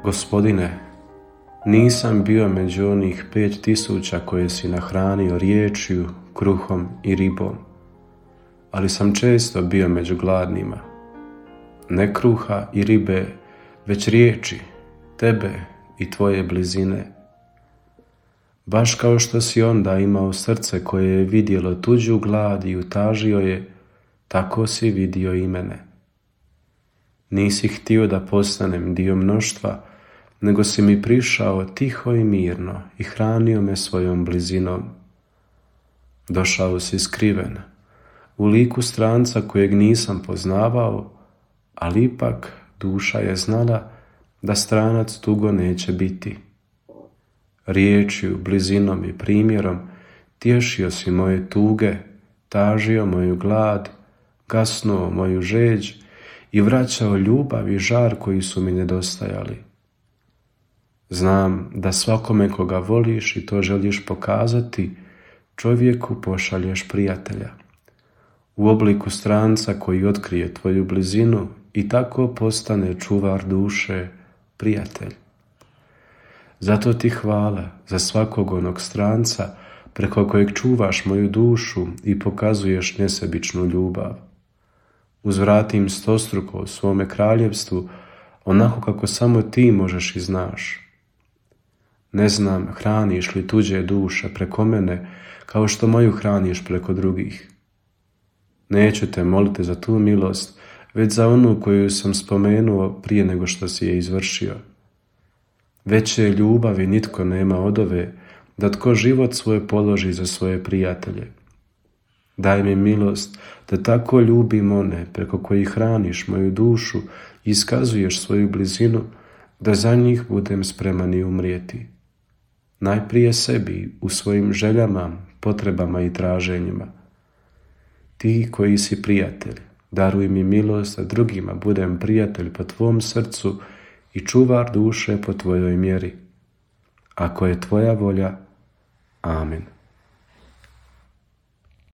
Gospodine, nisam bio među onih 5000 koje si nahranio riječju, kruhom i ribom, ali sam često bio među gladnima. Ne kruha i ribe, već riječi, tebe i tvoje blizine. Baš kao što si onda imao srce koje je vidjelo tuđu glad i utažio je, tako si vidio i mene. Nisi htio da postanem dio mnoštva, nego si mi prišao tiho i mirno i hranio me svojom blizinom. Došao si skriven, u liku stranca kojeg nisam poznavao, ali ipak duša je znala da stranac dugo neće biti. Riječju, blizinom i primjerom tješio si moje tuge, tažio moju glad, gasnuo moju žeđ i vraćao ljubav i žar koji su mi nedostajali. Znam da svakome koga voliš i to želiš pokazati, čovjeku pošalješ prijatelja. U obliku stranca koji otkrije tvoju blizinu i tako postane čuvar duše, prijatelj. Zato ti hvala za svakog onog stranca preko kojeg čuvaš moju dušu i pokazuješ nesebičnu ljubav. Uzvratim stostruko u svome kraljevstvu, onako kako samo ti možeš i znaš. Ne znam hraniš li tuđe duše preko mene, kao što moju hraniš preko drugih. Neću te moliti za tu milost, već za onu koju sam spomenuo prije nego što si je izvršio. Veće ljubavi nitko nema od ove, da tko život svoj položi za svoje prijatelje. Daj mi milost da tako ljubim one preko kojih hraniš moju dušu i iskazuješ svoju blizinu, da za njih budem spreman i umrijeti. Najprije sebi u svojim željama, potrebama i traženjima. Ti koji si prijatelj, daruj mi milost da drugima budem prijatelj po tvom srcu i čuvar duše po tvojoj mjeri. Ako je tvoja volja, amen.